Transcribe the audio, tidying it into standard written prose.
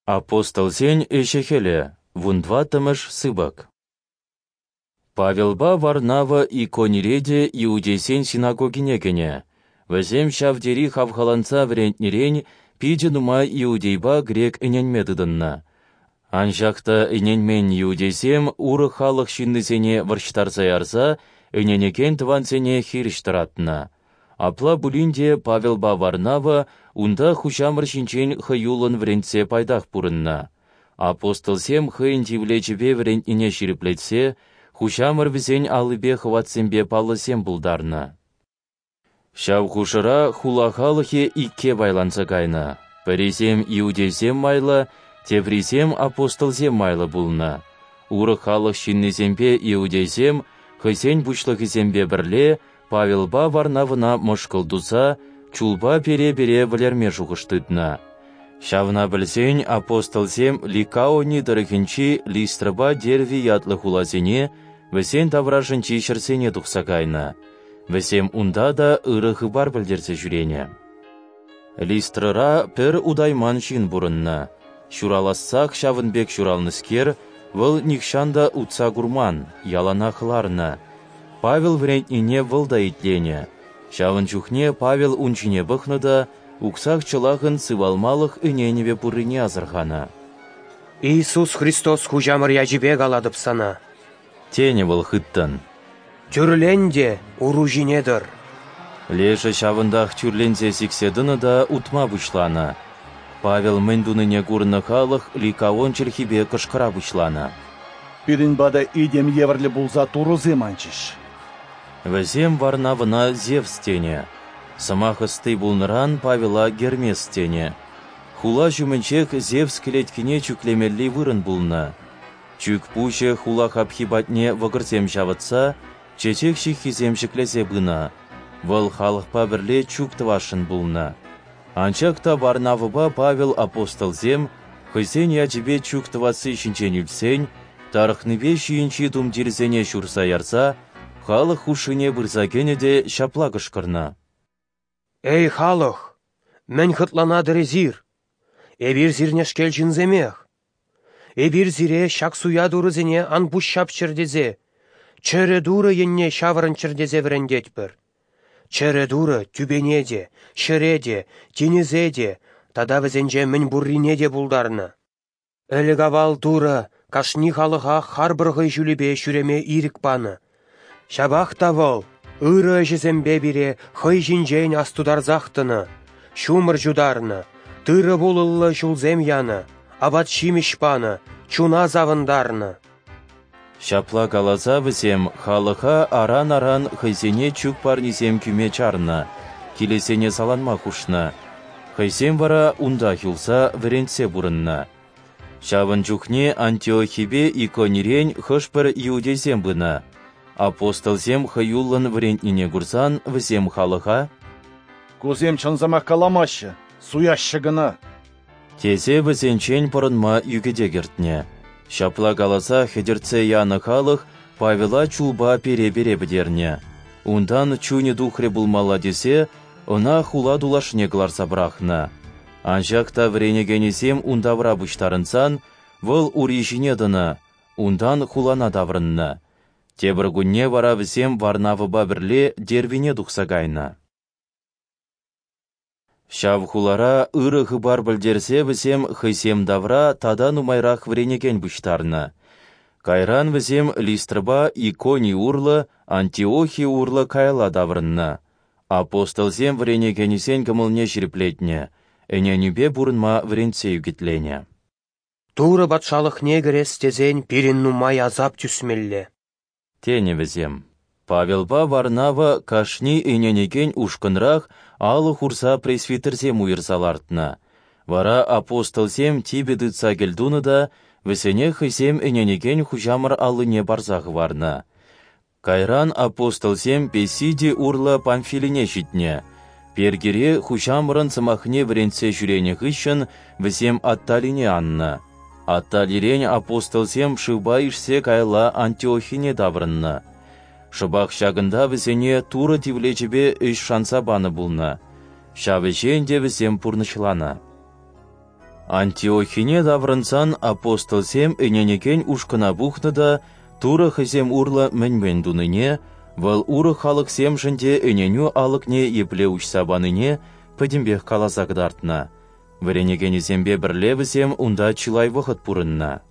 Апостолсен ӗҫӗ-хӗлӗ, вунтӑваттӑмӗш сыпӑк. Павелпа Варнава Иконире те иудейсен синагогине кӗнӗ. Вӗсем ҫав тери хавхаланса вӗрентнӗрен питӗ нумай иудейпа грек ӗненме тытӑннӑ. Анчах та ӗненмен иудейсем урӑх халӑх ҫыннисене вӑрҫтарса ярса ӗненекен тӑвансене хирӗҫ тӑратнӑ. Апла пулин те Павелпа Варнава унта Хуҫамӑр ҫинчен хӑюллӑн вӗрентсе пайтах пурӑннӑ. Апостолсем хӑйӗн тивлечӗпе вӗрентнине ҫирӗплетсе Хуҫамӑр вӗсен аллипе хӑватсемпе паллӑсем пултарнӑ. Ҫав хушӑра хула халӑхӗ икке пайланса кайнӑ. Пӗрисем иудейсем майлӑ, теприсем апостолсем майлӑ пулнӑ. Урӑх халӑх ҫыннисемпе иудейсем хӑйсен пуҫлӑхӗсемпе пӗрле Павелпа Варнавӑна мӑшкӑл туса чулпа пере-пере вӗлерме шухӑш тытнӑ. Ҫавна пӗлсен апостолсем Ликаони тӑрӑхӗнчи Листрӑпа Дерви ятлӑ хуласене, вӗсен таврашӗнчи ҫӗрсене тухса кайнӑ. Вӗсем унта та ырӑ хыпар пӗлтерсе ҫӳренӗ. Листрӑра пӗр утайман ҫын пурӑннӑ. Ҫуралассах ҫавӑн пек ҫуралнӑскер, вӑл нихҫан та утса курман, яланах ларнӑ. Павел вӗрентнине вӑл та итленӗ. Ҫавӑн чухне Павел ун ҫине пӑхнӑ та уксах-чӑлахӑн сывалмалӑх ӗненӗвӗ пуррине асӑрханӑ. «Иисус Христос Хуҫамӑр ячӗпе калатӑп сана», тенӗ вӑл хыттӑн. «Тӳрлен те уру ҫине тӑр». Лешӗ ҫавӑнтах тӳрленсе сиксе тӑнӑ та утма пуҫланӑ. Павел мӗн тунине курнӑ халӑх ликаон чӗлхипе кӑшкӑра пуҫланӑ. «Пирӗн пата этем евӗрлӗ пулса турӑсем анчӗҫ». Вӗсем Варнавӑна Зевс тенӗ. Сӑмах ӑсти пулнӑран Павела Гермес тенӗ. Хула ҫумӗнчех Зевс кӗлеткине чӳклемелли вырӑн пулнӑ. Чӳк пуҫӗ хула хапхи патне вӑкӑрсем ҫавӑтса, чечек ҫыххисем ҫӗклесе пынӑ. Вӑл халӑхпа пӗрле чӳк тӑвасшӑн пулнӑ. Анчах та Варнавӑпа Павел апостолсем хӑйсен ячӗпе чӳк тӑвасси ҫинчен илтсен, тарӑхнипе ҫийӗнчи тумтирсене ҫурса ярса, халӑх хушшине пырса кӗнӗ те ҫапла кӑшкӑрнӑ. «Эй, халӑх! Мӗн хӑтланатӑр эсир? Эпир сирнешкел ҫынсемех. Эпир сире ҫак суя турӑсене ан пуҫҫапчӑр тесе, чӗрӗ Турӑ енне ҫаврӑнччӑр тесе вӗрентетпӗр. Чӗрӗ Турӑ тӳпене те, ҫӗре те, тинӗсе те тата вӗсенче мӗн пуррине те пултарнӑ. Ӗлӗк-авал Турӑ кашни халӑха харпӑр хӑй ҫулӗпе ҫӳреме ирӗк панӑ. Ҫапах та вӑл ырӑ ӗҫӗсемпе пире хӑй ҫинчен астутарсах тӑнӑ, ҫумӑр ҫутарнӑ, тырӑ-пулӑллӑ ҫулсем янӑ, апат-ҫимӗҫ панӑ, чуна савӑнтарнӑ». Ҫапла каласа вӗсем халӑха аран-аран хӑйсене чӳк парнисем кӳме чарнӑ, килӗсене саланма хушнӑ. Хӑйсем вара унтах юлса вӗрентсе пурӑннӑ. Ҫавӑн чухне Антиохипе Иконирен хӑш-пӗр иудейсем пынӑ. Апостолсем хӑюллӑн вӗрентнине курсан вӗсем халӑха: «Кусем чӑн сӑмах каламаҫҫӗ, суяҫҫӗ кӑна», тесе вӗсенчен пӑрӑнма ӳкӗте кӗртнӗ. Ҫапла каласа хӗтӗртсе янӑ халӑх Павела чулпа пере-пере пӗтернӗ. Унтан чунӗ тухрӗ пулмалла тесе ӑна хула тулашне кӑларса пӑрахнӑ. Анчах та вӗренекенӗсем ун тавра пуҫтарӑнсан вӑл ури ҫине тӑнӑ, унтан хулана таврӑннӑ. Тепӗр кунне вара вӗсем Варнавӑпа пӗрле Дервине тухса кайнӑ. Ҫав хулара ырӑ хыпар пӗлтерсе вӗсем хӑйсем тавра тата нумайрах вӗренекен пуҫтарнӑ. Кайран вӗсем Листрӑпа Икони урлӑ, Антиохи урлӑ каялла таврӑннӑ. Апостолсем вӗренекенӗсен кӑмӑлне ҫирӗплетнӗ, ӗненӳпе пурӑнма вӗрентсе ӳкӗтленӗ. «Турӑ патшалӑхне кӗрес тесен пирӗн нумай асап тӳсмелле», тенӗ вӗсем. Павелпа Варнава кашни ӗненекен ушкӑнрах алӑ хурса пресвитерсем уйӑрса лартнӑ. Вара апостолсем типӗ тытса кӗлтунӑ та вӗсене хӑйсем ӗненекен Хуҫамӑр аллине парса хӑварнӑ. Кайран апостолсем Песиди урлӑ Памфилине ҫитнӗ. Пергире Хуҫамӑрӑн сӑмахне вӗрентсе ҫӳренӗ хыҫҫӑн вӗсем Атталине аннӑ. Атталирен апостолсем шывпа ишсе каялла Антиохине таврӑннӑ. Шӑпах ҫакӑнта вӗсене Турӑ тивлечӗпе ӗҫ шанса панӑ пулнӑ. Ҫав ӗҫе ӗнтӗ вӗсем пурнӑҫланӑ. Антиохине таврӑнсан апостолсем ӗненекен ушкӑна пухнӑ та Турӑ хӑйсем урлӑ мӗн-мӗн тунине, Вӑл урӑх халӑхсемшӗн те ӗненӳ алӑкне епле уҫса панине пӗтӗмпех каласа кӑтартнӑ. Вӗренекенӗсемпе пӗрле вӗсем унта чылай вӑхӑт пурӑннӑ.